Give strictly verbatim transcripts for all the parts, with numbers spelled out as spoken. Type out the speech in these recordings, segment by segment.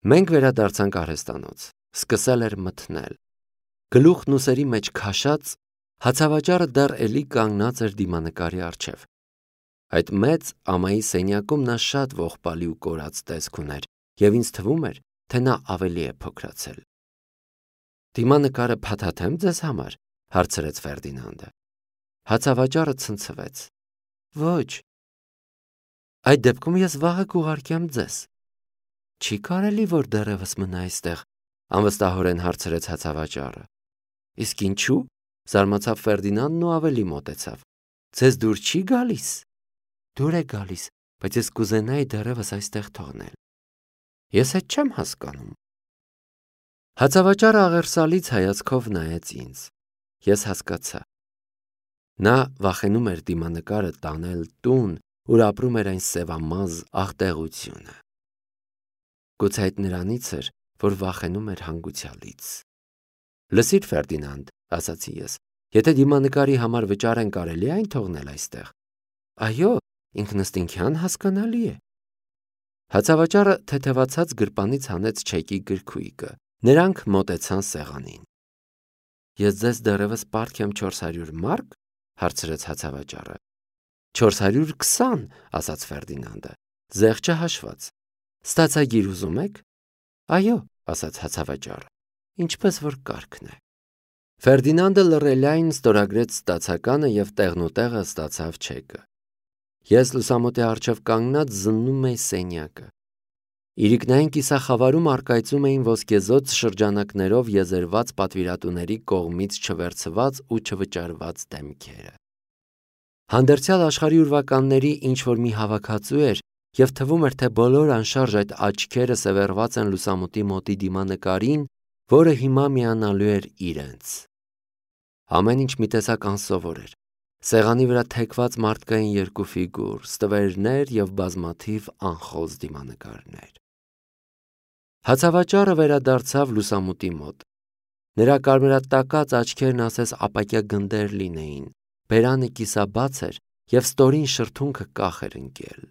Մենք վերադարձանք արհեստանոց, սկսել էր մթնել, գլուխն ուսերի մեջ քաշած, հացավաճառը դեռ էլի կանգնած էր դիմանկարի առջև։ Այդ մեծ ամայի սենյակում նա շատ ողբալի ու կորած տեսք ուներ, և ինձ թվում էր, թե նա ավելի է փոքրացել։ Դիմանկարը փաթաթեմ ձեզ համար, հարցրեց Ֆերդինանդը։ Հացավաճառը ցնցվեց։ Ոչ։ Այդ դեպքում ես վաղը կուղարկեմ ձեզ։ Չի կարելի, որ դեռևս մնա այստեղ, անվստահորեն հարցրեց հացավաճառը։ Իսկ ինչու՞, զարմացավ Ֆերդինանդն ու ավելի մոտեցավ։ Ձեզ դուր չի գալիս։ Դուր է գալիս, բայց ես կուզենայի դեռևս այստեղ թողնել։ Ես այդ չեմ հասկանում։ Հացավաճառը աղերսալից հայացքով նայեց ինձ։ Ես հասկացա։ Նա վախենում էր դիմանկարը տանել տուն, ուր ապրում էր այն սևամազ աղտեղությունը։ Գուցե այդ նրանից էր, որ վախենում էր հանգուցյալից։ Լսիր, Ֆերդինանդ, ասացի ես, եթե դիմանկարի համար վճար են կարելի այն թողնել այստեղ։ Այո, ինքնըստինքյան հասկանալի է։ Հացավաճառը թեթևացած գրպանից հանեց չեկի գրքույկը։ Նրանք մոտեցան սեղանին։ Ես ձեզ դեռևս պարտք եմ չորս հարյուր մարկ, հարցրեց հացավաճառը։ Չորս հարյուր քսան, ասաց Ֆերդինանդը, զեղչը հաշված։ Ստացագիր ուզում եք։ Այո, ասաց հացավաճառը, ինչպես որ կարգն է։ Ֆերդինանդը լռելային ստորագրեց ստացականը և տեղնուտեղը ստացավ չեկը։ Ես լուսամուտի առջև կանգնած զննում էի սենյակը։ Իրիկնային կիսախավարում առկայծում էին ոսկեզօծ շրջանակներով եզերված պատվիրատուների կողմից չվերցված ու չվճարված դեմքերը։ Հանդերձյալ աշխարհի ուրվականների ինչ-որ մի հավաքածու էր, և թվում էր, թե բոլոր անշարժ այդ աչքերը սևեռված են լուսամուտի մոտի դիմանկարին, որը հիմա միանալու էր իրենց։ Ամեն ինչ մի տեսակ անսովոր էր։ Սեղանի վրա թեքված մարդկային երկու ֆիգուր, ստվերներ և բազմաթիվ անխոզ դիմանկարներ։ Հացավաճառը վերադարձավ լուսամուտի մոտ։ Նրա կարմրատակած աչքերն ասես ապակյա գնդեր լինեին, բերանը կիսաբաց էր և ստորին շրթունքը կախ էր ընկել։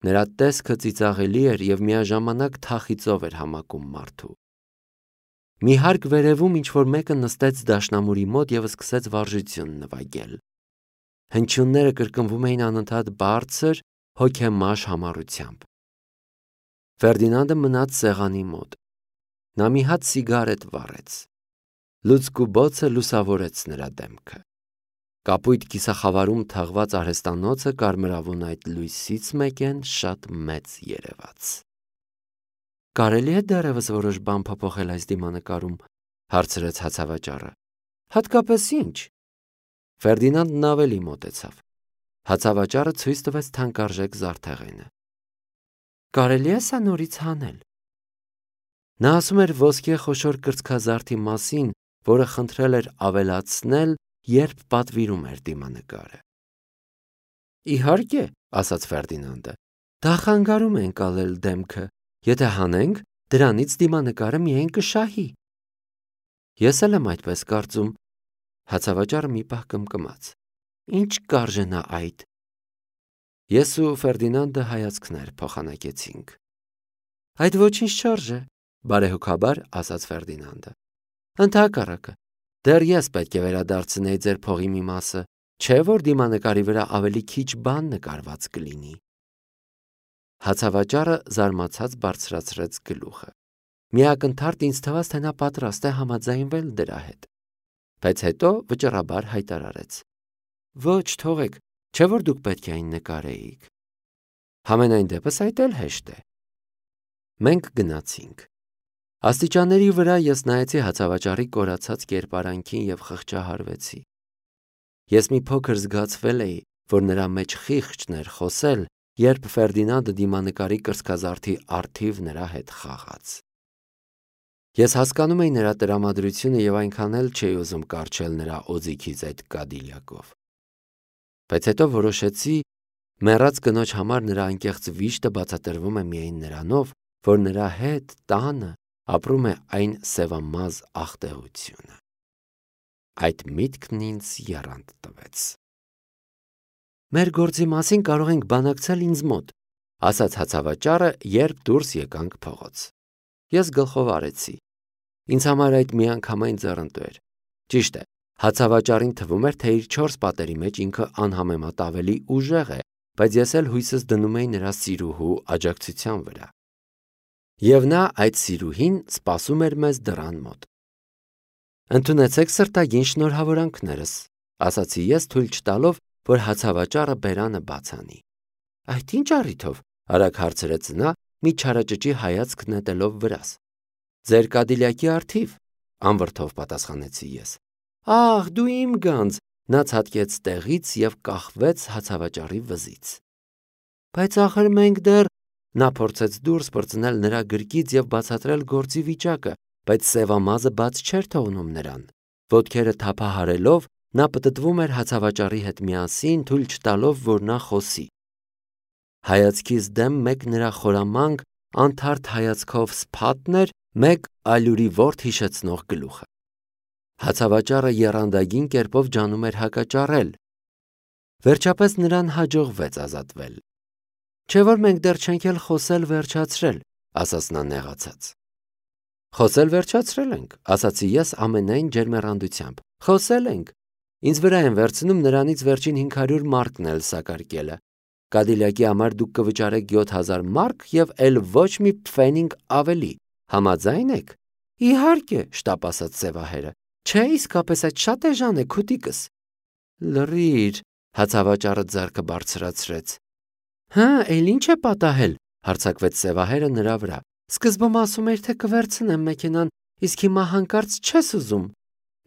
Նրա տեսքը ծիծաղելի էր և միաժամանակ թախիծով էր համակում մարդու։ Մի հարկ վերևում ինչ-որ մեկը նստեց դաշնամուրի մոտ և սկսեց վարժություն նվագել։ Հնչյունները կրկնվում էին անընդհատ բարձր, հոգեմաշ համառությամբ։ Ֆերդինանդը մնաց սեղանի մոտ։ Նա մի հատ սիգարետ վառեց։ Լուցկու բոցը լուսավորեց նրա դեմքը։ Կապույտ կիսախավարում թաղված արհեստանոցը կարմրավուն այդ լույսից մեկեն շատ մեծ երևաց։ Կարելի է դեռևս որոշ բան փոփոխել այս դիմանկարում, հարցրեց հացավաճառը։ Հատկապես ի՞նչ։ Ֆերդինանդն ավելի մոտեցավ։ Հացավաճառը ցույց տվեց թանկարժեք զարդեղենը։ Կարելի է սա նորից հանել։ Նա ասում էր ոսկե խոշոր կրծքազարդի մասին, որը խնդրել էր ավելացնել, երբ պատվիրում էր դիմանկարը։ Իհարկե, ասաց Ֆերդինանդը, դա խանգարում է ընկալել դեմքը, եթե հանենք, դրանից դիմանկարը միայն կշահի։ Ես էլ եմ այդպես կարծում։ Հացավաճառը մի պահ կմկմաց։ Ինչ կարժենա այդ։ Ես ու Ֆերդինանդը հայացքներ փոխանակեցինք։ Այդ ոչինչ չարժե, բարեհոգաբար ասաց Ֆերդինանդը։ Ընդհակառակը, դեռ ես պետք է վերադարձնեի ձեր փողի մի մասը, չէ՞ որ դիմանկարի վրա ավելի քիչ բան նկարված կլինի։ Հացավաճառը զարմացած բարձրացրեց գլուխը։ Միակնթարթ ինձ թվաց, թե նա պատրաստ է համաձայնվել դրա հետ, բայց հետո վճռաբար հայտարարեց. Ոչ, թողեք, չէ՞ որ դուք պետք է այն նկարեիք։ Համենայն դեպս այդ էլ հեշտ է։ Մենք գնացինք։ Աստիճանների վրա ես նայեցի հացավաճառի կորացած կերպարանքին և խղճահարվեցի։ Ես մի փոքր զգացվել էի, որ նրա մեջ խիղճն էր խոսել, երբ Ֆերդինանդը դիմանկարի կրծքազարդի առթիվ նրա հետ խաղաց։ Ես հասկանում էի նրա տրամադրությունը և այնքան էլ չէի ուզում կառչել նրա օձիքից այդ կադիլակով։ Բայց հետո որոշեցի, մեռած կնոջ համար նրա անկեղծ վիշտը բացատրվում է միայն նրանով, որ նրա հետ տանը ապրում է այն սևամազ աղտեղությունը։ Այդ միտքն ինձ եռանդ տվեց։ Մեր գործի մասին կարող ենք բանակցել ինձ մոտ, ասաց հացավաճառը, երբ դուրս եկանք փողոց։ Ես գլխով արեցի։ Ինձ համար այդ միանգամայն ձեռնտու էր։ Ճիշտ է, հացավաճառին թվում էր, թե իր չորս պատերի մեջ ինքը անհամեմատ ավելի ուժեղ է, բայց ես էլ հույսս դնում էի նրա սիրուհու աջակցության վրա։ Եվ նա, այդ սիրուհին, սպասում էր մեզ դռան մոտ։ Ընդունեցեք սրտագին շնորհավորանքներս, ասացի ես, թույլ չտալով, որ հացավաճառը բերանը բաց անի։ Այդ ինչ առիթով, արագ հարցրեց նա, մի չարաճճի հայացք նետելով վրաս։ Ձեր Կադիլյակի առթիվ, անվրդով պատասխանեցի ես։ Ահ, դու իմ գանձ, նա ցատկեց տեղից եւ կախվեց հացավաճառի վզից։ Բայց ախր մենք դեռ, նա փորձեց դուրս պրծնել նրա գրկից եւ բացատրել գործի վիճակը, բայց սևամազը բաց չէր թողնում նրան։ Ոտքերը թափահարելով, նա պտտվում էր հացավաճառի հետ միասին, թույլ չտալով, որ նա խոսի։ Հայացքից դեմ մեկ նրա խորամանկ, անթարթ հայացքով սփաթն էր, մեկ ալյուրի ворդ հիշեցնող գլուխը։ Հացավաճառը եռանդագին կերպով ջանում էր հակաճառել։ Վերջապես նրան հաջողվեց ազատվել։ Չէ՞ որ մենք դեռ չենք էլ խոսել վերջացրել, ասաց նա նեղացած։ Խոսել վերջացրել ենք, ասացի ես ամենայն ջերմեռանդությամբ։ Խոսել ենք։ Ինձ վրա են վերցնում նրանից վերջին հինգ հարյուր մարկն էլ սակարկելը։ Կադիլյակի համար դուք կվճարեք յոթ հազար մարկ եւ էլ ոչ մի փֆենինգ ավելի։ Համաձայն եք։ Իհարկե, շտապ ասաց Սևահերը։ Չէ, իսկապես այդ շատ էժան է, քուտիկս։ Լռիր, հացավաճառը ձեռքը բարձրացրեց։ Հա, էլ ինչ է պատահել, հարձակվեց Սևահերը նրա վրա։ Սկզբում ասում էր, թե կվերցնեմ մեքենան, իսկ հիմա հանկարծ չես ուզում։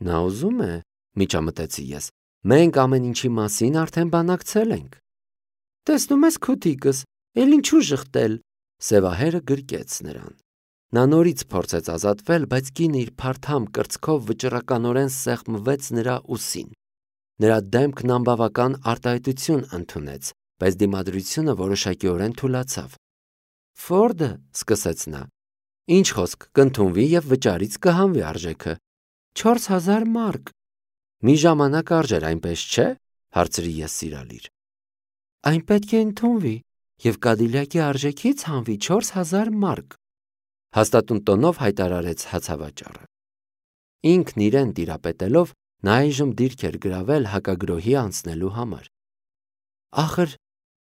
Նա ուզում է, միջամտեցի ես։ Մենք ամեն ինչի մասին արդեն բանակցել ենք։ Տեսնում ես քուտիկս, էլ ինչու ժխտել։ Սևահերը գրկեց նրան։ Նա նորից փորձեց ազատվել, բայց կինը իր փարթամ կրծքով վճռականորեն սեղմվեց նրա ուսին։ Նրա դեմքն անբավական արտահայտություն ընդունեց, բայց դիմադրությունը որոշակիորեն թուլացավ։ Ֆորդը, սկսեց նա, ինչ խոսք, կընդունվի եւ վճարից կհանվի արժեքը։ չորս հազար մարկ։ Մի ժամանակ արժեր, այնպես չէ, հարցրի ես սիրալիր։ Այն պետք է ընդունվի եւ Կադիլյակի արժեքից հանվի չորս հազար մարկ, հաստատուն տոնով հայտարարեց հացավաճառը։ Ինքն իրեն տիրապետելով, նա այժմ դիրք էր գրավել հակագրոհի անցնելու համար։ Ախր,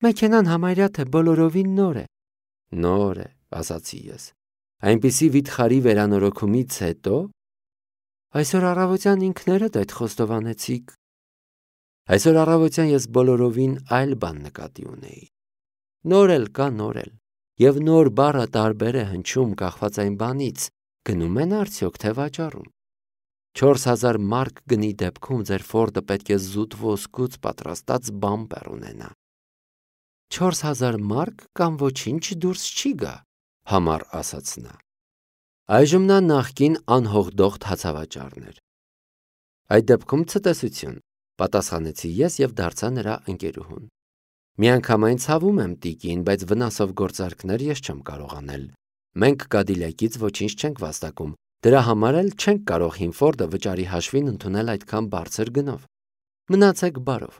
մեքենան համարյա թե բոլորովին նոր է։ Նոր է, ասացի ես։ Այնպիսի վիթխարի վերանորոգումից հետո այսօր առավոտյան ինքներդ այդ խոստովանեցիք։ Այսօր առավոտյան ես բոլորովին այլ բան նկատի ունեի։ Նոր էլ կա նոր էլ, եւ նոր բառը տարբեր է հնչում կախված այն բանից, գնում են արդյոք թե վաճառում։ չորս հազար մարկ գնի դեպքում ձեր Ֆորդը պետք է զուտ ոսկուց պատրաստած բամպեր ունենա։ չորս հազար մարկ կամ ոչինչ դուրս չի գա, համառ ասաց նա։ Այժմ նա նախկին անհողդողտ հացավաճառն էր։ Այդ դեպքում ցտեսություն, պատասխանեցի ես եւ դարձա նրա ընկերուհուն։ Միանգամայն ցավում եմ տիկին, բայց վնասով գործարքներ ես չեմ կարող անել։ Մենք Կադիլյակից ոչինչ չենք վաստակում, դրա համար էլ չենք կարող Հինֆորդը վճարի հաշվին ընդունել այդքան բարձր գնով։ Մնացեք բարով։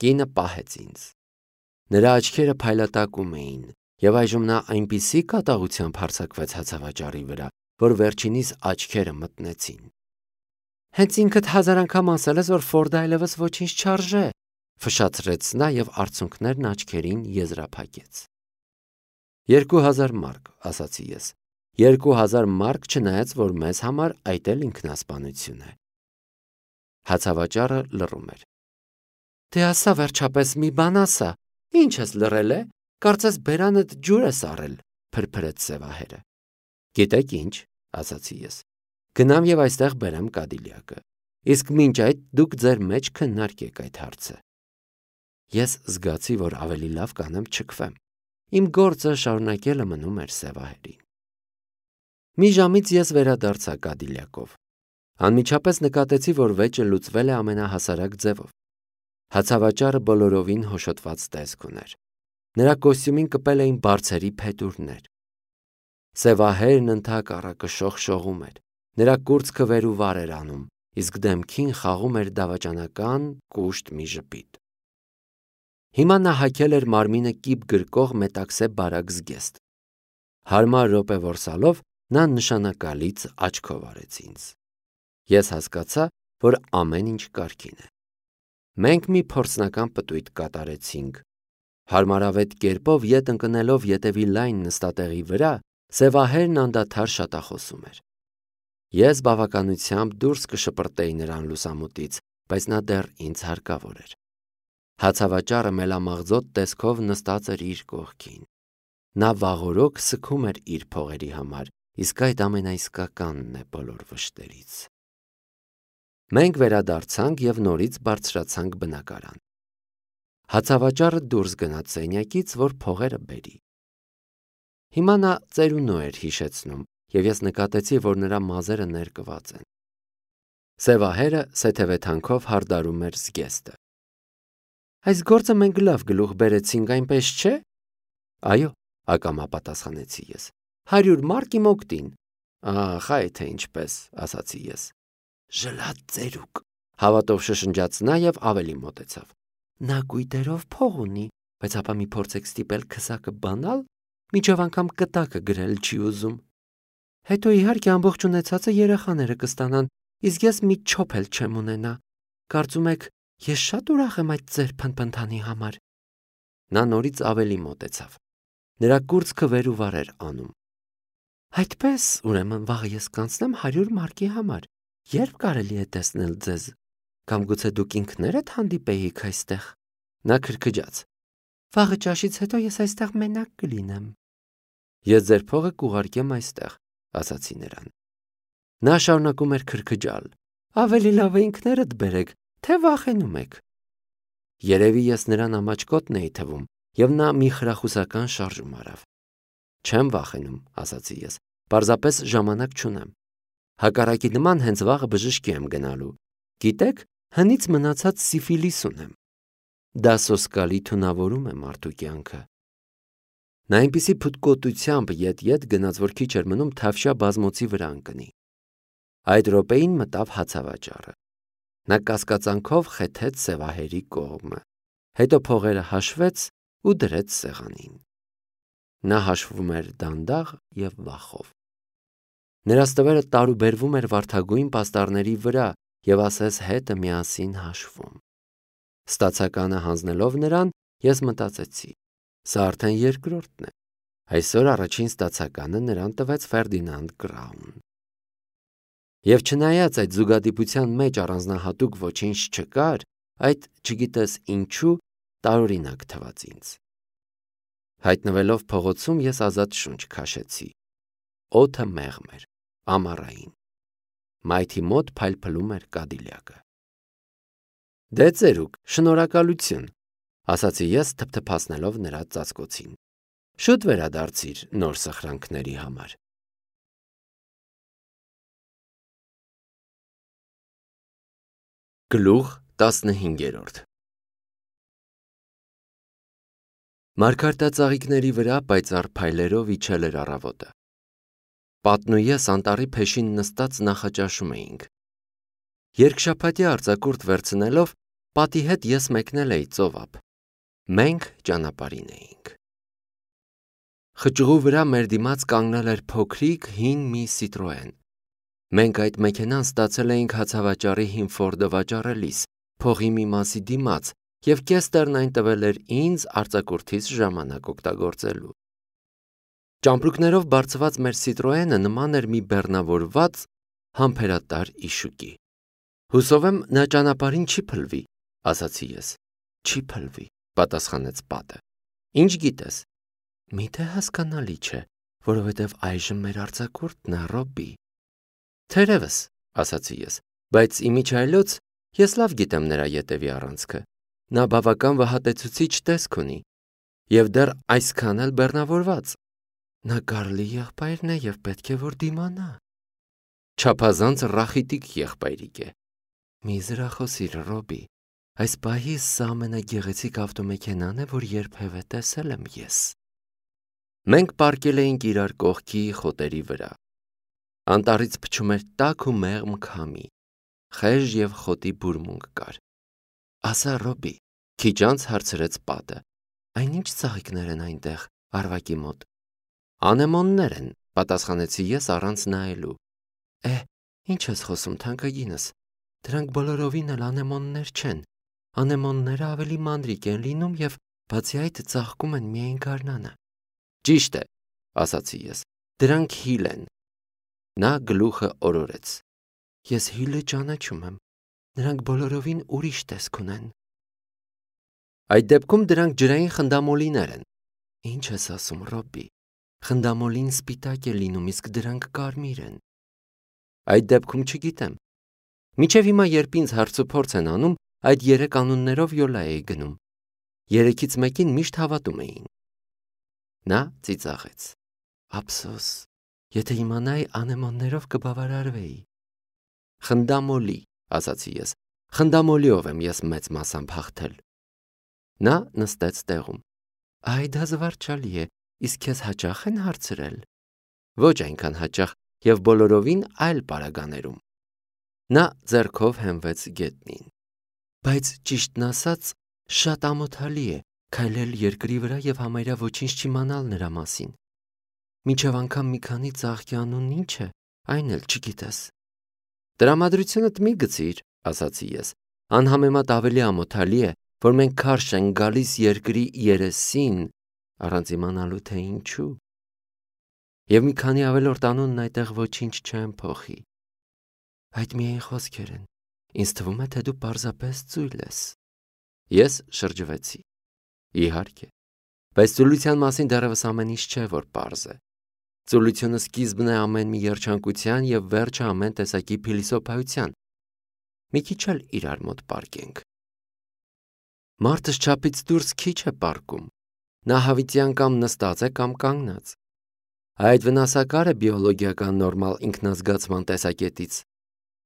Կինը պահեց ինձ։ Նրա աչքերը փայլատակում էին, եւ այժմ նա այնպիսի կատաղությամբ հարձակվեց հացավաճառի վրա, որ վերջինիս աչքերը մտնեցին։ Հենց ինքդ հազար անգամ ասել ես, որ Ֆորդը այլևս ոչինչ չարժե, ֆշացրեց նա եւ արցունքներն աչքերին եզրափակեց։ Երկու հազար մարկ, ասացի ես։ Երկու հազար մարկ, չնայած որ մեզ համար այդ էլ ինքնասպանություն է։ Հացավաճառը լռում էր։ Դե ասա վերջապես մի բան ասա, ինչ ես լռել է, կարծես բերանդ ջուր ես առել, փրփրեց Սևահերը։ Գիտեք ինչ, ասացի ես։ Գնամ եւ այստեղ բերեմ Կադիլյակը։ Իսկ մինչ այդ դուք ձեր մեջ քննարկեք այդ հարցը։ Ես զգացի, որ ավելի լավ կանեմ չքվեմ։ Իմ գործը շարունակելը մնում էր Սևահերին։ Մի ժամից ես վերադարձա Կադիլյակով։ Անմիջապես նկատեցի, որ վեճը լուծվել է ամենահասարակ ձևով։ Հացավաճառը բոլորովին հոշոտված տեսք ուներ։ Նրա կոստյումին կպել էին բարձերի փետուրներ։ Սևահերն ընդհակառակը շողշողում էր։ Նրա կուրծքը վեր ու վար էր անում, իսկ դեմքին խաղում էր դավաճանական կուշտ մի ժպիտ։ Հիմա նա հագել էր մարմինը կիպ գրկող մետաքսե բարակ զգեստ։ Հարմար րոպե որսալով Նա նշանակալից աչքով արեց ինձ։ Ես հասկացա, որ ամեն ինչ կարգին է։ Մենք մի փորձնական պտույտ կատարեցինք։ Հարմարավետ կերպով ետ ընկնելով ետևի լայն նստատեղի վրա, Սևահերն անդադար շատախոսում էր։ Ես բավականությամբ դուրս կշպրտեի նրան լուսամուտից, բայց նա դեռ ինձ հարկավոր էր։ Հացավաճառը մելամաղձոտ տեսքով նստած էր իր կողքին։ Նա վաղօրոք սգում էր իր փողերի համար, իսկ այդ ամենաիսկականն է բոլոր վշտերից։ Մենք վերադարձանք և նորից բարձրացանք բնակարան։ Հացավաճառը դուրս գնաց սենյակից, որ փողերը բերի։ Հիմա նա ծերունու էր հիշեցնում, և ես նկատեցի, որ նրա մազերը ներկված են։ Սևահերը սեթևեթանքով հարդարում էր զգեստը։ Այս գործը մենք լավ գլուխ բերեցինք, այնպես չէ։ Այո, ակամա պատասխանեցի ես։ Հարյուր մարկ իմ օգտին։ Ահ, այ թե ինչպես, ասացի ես։ Ժլատ ծերուկ, հավատով շշնջաց նա և ավելի մոտեցավ։ Նա կույտերով փող ունի, բայց ապա մի փորձեք ստիպել քսակը բանալ, մինչև անգամ կտակը գրել չի ուզում։ Հետո իհարկե ամբողջ ունեցածը երեխաները կստանան, իսկ ես մի չոփ էլ չեմ ունենա։ Կարծում եք, ես շատ ուրախ եմ այդ ձեր փնփնթանի համար։ Նա նորից ավելի մոտեցավ։ Նրա կուրծքը վեր ու վար էր անում։ Այդպես, ուրեմն վաղը ես կանցնեմ հարյուր մարկի համար։ Երբ կարելի է տեսնել ձեզ։ Կամ գուցե դուք ինքներդ հանդիպեիք այստեղ։ Նա քրքջաց։ Վաղը ճաշից հետո ես այստեղ մենակ կլինեմ։ Ես ձեր փողը կուղարկեմ այստեղ, ասացի նրան։ Նա շարունակում էր քրքջալ։ Ավելի լավ է ինքներդ բերեք, թե վախենում եք։ Երևի ես նրան ամաչկոտն էի թվում, և նա մի խրախուսական շարժում արավ։ Չեմ վախենում, ասացի ես, պարզապես ժամանակ չունեմ։ Հակառակի նման հենց վաղը բժշկի եմ գնալու։ Գիտեք, հնից մնացած սիֆիլիս ունեմ։ Դա սոսկալի թունավորում է մարդու կյանքը։ Նա այնպիսի փութկոտությամբ ետ-ետ գնաց, որ քիչ էր մնում թավշյա բազմոցի վրա ընկնի։ Այդ րոպեին մտավ հացավաճառը։ Նա կասկածանքով խեթեց Սևահերի կողմը, հետո փողերը հաշվեց ու դրեց սեղանին։ Նա հաշվում էր դանդաղ և վախով։ Նրա ստվերը տարուբերվում էր վարդագույն պաստառների վրա և ասես հետը միասին հաշվում։ Ստացականը հանձնելով նրան, ես մտածեցի. սա արդեն երկրորդն է։ Այսօր առաջին ստացականը նրան տվեց Ֆերդինանդ Կրաուն։ Եվ չնայած այդ զուգադիպության մեջ առանձնահատուկ ոչինչ չկար, այդ, չգիտես ինչու, տարօրինակ թվաց ինձ։ Հայտնվելով փողոցում, ես ազատ շունչ քաշեցի։ Օդը մեղմ էր, ամառային։ Մայթի մոտ փայլփլում էր կադիլյակը։ Դե ծերուկ, շնորհակալություն, ասացի ես թփթփացնելով նրա ծածկոցին։ Շուտ վերադարձիր նոր սխրանքների համար։ Գլուխ տասնհինգերորդ Մարգարտածաղիկների վրա պայծառ փայլերով իջել էր առավոտը։ Պատն ու ես անտառի փեշին նստած նախաճաշում էինք։ Երկշաբաթյա արձակուրդ վերցնելով, պատի հետ ես մեկնել էի ծովափ։ Մենք ճանապարհին էինք։ Խճուղու վրա մեր դիմաց կանգնել էր փոքրիկ հին մի Citroën։ Մենք այդ մեքենան ստացել էինք հացավաճառի հին Ֆորդը վաճառելիս, փողի մի մասի դիմաց, և կեստերն այն տվել էր ինձ արձակուրդիս ժամանակ օգտագործելու։ Ճամպրուկներով բարձված մեր Citroën-ը նման էր մի բեռնավորված համբերատար իշուկի։ Հուսով եմ նա ճանապարհին չի փլվի, ասացի ես։ Չի փլվի, պատասխանեց պատը։ Ինչ գիտես։ Միթե հասկանալի չէ, որովհետև այժմ մեր արձակուրդն է, Ռոբի։ Թերևս, ասացի ես, բայց իմիջիայլոց ես լավ գիտեմ նրա ետևի առանցքը։ Նա բավական վհատեցուցիչ տեսք ունի, և դեռ այսքան էլ բեռնավորված։ Նա Կարլի եղբայրն է և պետք է որ դիմանա։ Չափազանց ռախիտիկ եղբայրիկ է։ Մի զրախոսիր, Ռոբի, այս պահիս սա ամենագեղեցիկ ավտոմեքենան է, որ երբևէ տեսել եմ ես։ Մենք պառկել էինք իրար կողքի խոտերի վրա։ Անտառից փչում էր տաք ու մեղմ քամի, խեժ և խոտի բուրմունք կար։ Ասա, Ռոբի, քիչ անց հարցրեց պատը, այն ինչ ծաղիկներ են այնտեղ, Արվակի մոտ։ Անեմոններ են, պատասխանեցի ես առանց նայելու։ Է, ինչ ես խոսում, թանկագինս։ Դրանք բոլորովին էլ անեմոններ չեն։ Անեմոնները ավելի մանրիկ են լինում եւ բացի այդ ծաղկում են միայն գարնանը։ Ճիշտ է, ասացի ես։ Դրանք հիլ են։ Նա գլուխը օրորեց։ Ես հիլը ճանաչում եմ։ Նրանք բոլորովին ուրիշ տեսք ունեն։ Այդ դեպքում դրանք ջրային խնդամոլիներ են։ Ինչ ես ասում, Ռոբբի։ Խնդամոլին սպիտակ է լինում, իսկ դրանք կարմիր են։ Այդ դեպքում չգիտեմ։ Մինչև հիմա երբ ինձ հարցուփորձ են անում, այդ երեք անուններով յոլա էի գնում։ Երեքից մեկին միշտ հավատում էին։ Նա ծիծաղեց։ Ափսոս, եթե իմանայի անեմոններով կբավարարվեի։ Խնդամոլի, ասացի ես։ Խնդամոլիով եմ ես մեծ մասամբ հաղթել։ Նա նստեց տեղում։ Այ դա զվարճալի է, իսկ քեզ հաճախ են հարցրել։ Ոչ այնքան հաճախ եւ բոլորովին այլ պարագաներում։ Նա ձեռքով հենվեց գետնին։ Բայց ճիշտն ասած, շատ ամոթալի է քայլել երկրի վրա եւ համարյա ոչինչ չիմանալ նրա մասին։ Մինչև անգամ մի քանի ծաղկի անունն ինչ է, այն էլ չգիտես։ Տրամադրությունդ մի գցիր, ասացի ես։ Անհամեմատ ավելի ամոթալի է, որ մենք քարշ ենք գալիս երկրի երեսին, առանց իմանալու թե ինչու։ Եվ մի քանի ավելորդ անունն այդտեղ ոչինչ չեն փոխի։ Այդ միայն խոսքեր են։ Ինձ թվում է, թե դու պարզապես ծույլ ես։ Ես շրջվեցի։ Իհարկե։ Բայց ծուլության մասին դեռևս ամեն ինչ չէ, որ պարզ է։ Ծուլությունը սկիզբն է ամեն մի երջանկության եւ վերջը ամեն տեսակի փիլիսոփայության։ Մի քիչ էլ իրար մոտ պարկենք։ Մարդը չափից դուրս քիչ է պարկում։ Նա հավիտյան կամ նստած է կամ կանգնած։ Այդ վնասակար է բիոլոգիական նորմալ ինքնազգացման տեսակետից։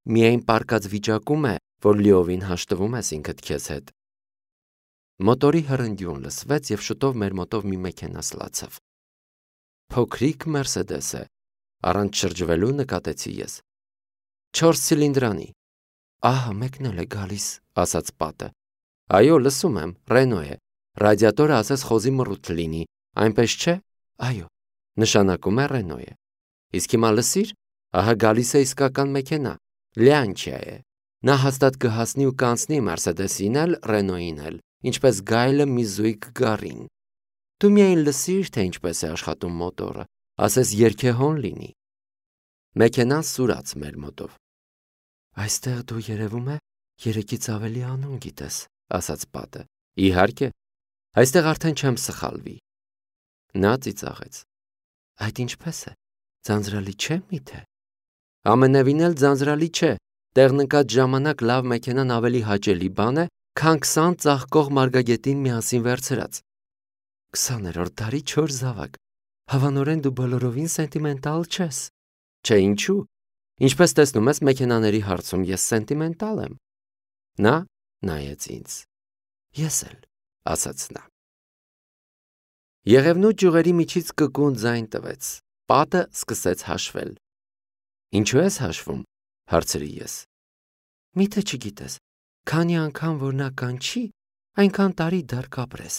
Միայն պարկած վիճակում է, որ լիովին հաշտվում ես ինքդ քեզ հետ։ Մոտորի հրնդյուն լսվեց եւ շուտով մեր մոտով մի մեքենա սլացավ։ Փոքրիկ Մերսեդես է, առանց շրջվելու նկատեցի ես։ Չորս ցիլինդրանի։ Ահա մեկն էլ է գալիս, ասաց պատը։ Այո, լսում եմ, Ռենո է։ Ռադիատորը ասես խոզի մռութ լինի, այնպես չէ։ Այո, նշանակում է Ռենո է։ Իսկ հիմա լսիր, ահա գալիս է իսկական մեքենա, Լյանչիա է։ Նա հաստատ կհասնի ու կանցնի Մերսեդեսին էլ, Ռենոյին էլ, ինչպես գայլը մի զույգ գառին։ Դու միայն լսիր, թե ինչպես է աշխատում մոտորը, ասես երգեհոն լինի։ Մեքենան սուրաց մեր մոտով։ Այստեղ դու երևում է երեքից ավելի անուն գիտես, ասաց պատը։ Իհարկե, այստեղ արդեն չեմ սխալվի։ Նա ծիծաղեց։ Այդ ինչպես է, ձանձրալի չէ միթե։ Ամենևին էլ ձանձրալի չէ, տեղնկած ժամանակ լավ մեքենան ավելի հաճելի բան է, քան քսան ծաղկող մարգագետին միասին վերցրած։ Քսաներորդ դարի չոր զավակ, հավանորեն դու բոլորովին սենտիմենտալ չես։ Չէ, ինչու։ Ինչպես տեսնում ես, մեքենաների հարցում ես սենտիմենտալ եմ։ Նա նայեց ինձ։ Ես էլ, ասաց նա։ Եղևնու ճյուղերի միջից կկուն ձայն տվեց։ Պատը սկսեց հաշվել։ Ինչու ես հաշվում, հարցրի ես։ Միթե չգիտես, քանի անգամ որ նա կանչի, այնքան տարի դեռ կապրես։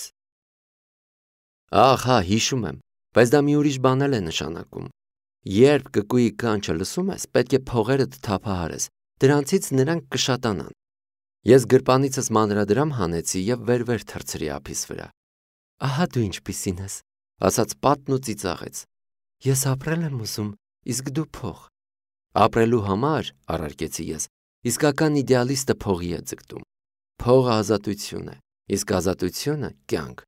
Ահա, հիշում եմ, բայց դա մի ուրիշ բան էլ է նշանակում։ Երբ կկուի կանչը լսում ես, պետք է փողերդ թափահարես, դրանցից նրանք կշատանան։ Ես գրպանիցս մանրադրամ հանեցի եւ վեր-վեր թռցրի ափիս վրա։ Ահա դու ինչպիսին ես, ասաց պատն ու ծիծաղեց։ Ես ապրել եմ ուզում, իսկ դու փող։ Ապրելու համար, առարկեցի ես, իսկական իդեալիստը փողի է ձգտում։ Փողը ազատություն է, իսկ ազատությունը կյանք։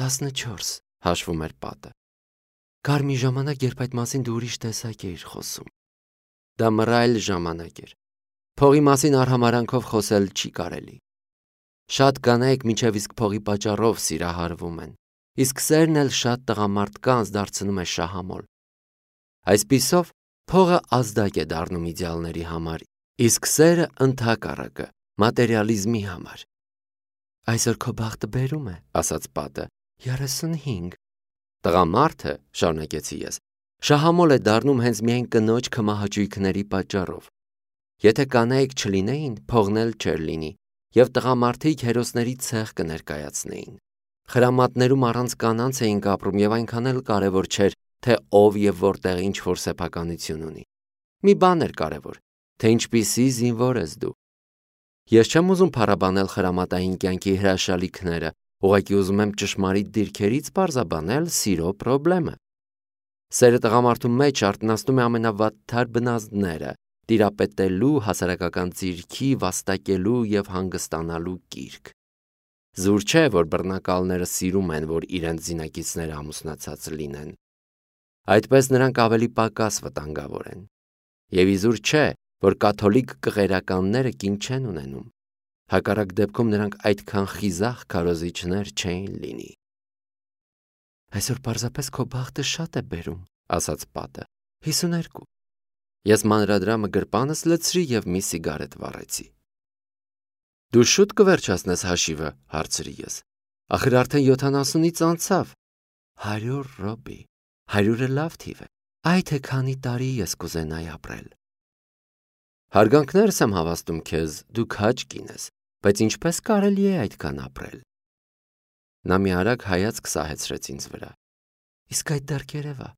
տասնչորս, հաշվում էր պատը։ Կար մի ժամանակ, երբ այդ մասին դու ուրիշ տեսակ էիր խոսում։ Դա մռայլ ժամանակ էր։ Փողի մասին արհամարանքով խոսել չի կարելի։ Շատ կանայք մինչև իսկ փողի պատճառով սիրահարվում են, իսկ սերն էլ շատ տղամարդկանց դարձնում է շահամոլ։ Այսպիսով, փողը ազդակ է դառնում իդեալների համար, իսկ սերը ընդհակառակը մատերիալիզմի համար։ Այսօր քո բախտը բերում է, ասաց պատը, երեսունհինգ։ Տղամարդը, շարունակեցի ես, շահամոլ է դառնում հենց միայն կնոջ քմահաճույքների պատճառով։ Եթե կանայք չլինեին, փողն էլ չէր լինի, եւ տղամարդիկ հերոսների ցեղ կներկայացնեին։ Խրամատներում առանց կանանց էինք ապրում եւ այնքան էլ կարեւոր չէր, թե ով եւ որտեղ ինչ որ սեփականություն ունի։ Մի բան էր կարևոր, թե ինչպիսի զինվոր ես դու։ Ես չեմ ուզում փառաբանել խրամատային կյանքի հրաշալիքները, ուղղակի ուզում եմ ճշմարիտ դիրքերից պարզաբանել սիրո խնդիրը։ Սերը տղամարդու մեջ արտնասնում է ամենավատթար բնազդները, տիրապետելու, հասարակական ձիրքի, վաստակելու եւ հանգստանալու գիրք։ Զուր չէ, որ բռնակալները սիրում են, որ իրենց զինակիցները ամուսնացած լինեն։ Այդպես նրանք ավելի պակաս վտանգավոր են։ Եվ իզուր չէ, որ կաթոլիկ կղերականները կին չեն ունենում։ Հակառակ դեպքում նրանք այդքան խիզախ քարոզիչներ չէին լինի։ Այսօր պարզապես քո բախտը շատ է բերում, ասաց պատը։ հիսուներկու։ Ես մանրադրամը գրպանս լցրի եւ մի սիգարետ վառեցի։ Դու շուտ կվերջացնես հաշիվը, հարցրի ես։ Ախր արդեն յոթանասունից անցավ։ Հարյուր ռոբի։ Հարյուրը լավ թիվ է։ Այ թե քանի տարի ես կուզենայի ապրել։ Հարգանքներս եմ հավաստում քեզ, դու քաջ կին ես, բայց ինչպես կարելի է այդքան ապրել։ Նա մի արագ հայացք սահեցրեց ինձ վրա։ Իսկ այդ դեռ երևա։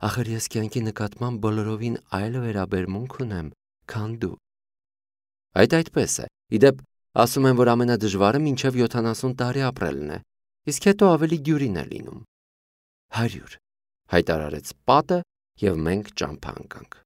Ախր ես կյանքի նկատմամբ բոլորովին այլ վերաբերմունք ունեմ, քան դու։ Այդ այդպես է։ Իդեպ ասում են, որ ամենադժվարը մինչև յոթանասուն տարի ապրելն է, իսկ հետո ավելի դյուրին է լինում։ Հարյուր, հայտարարեց պատը, եւ մենք ճամփա ընկանք։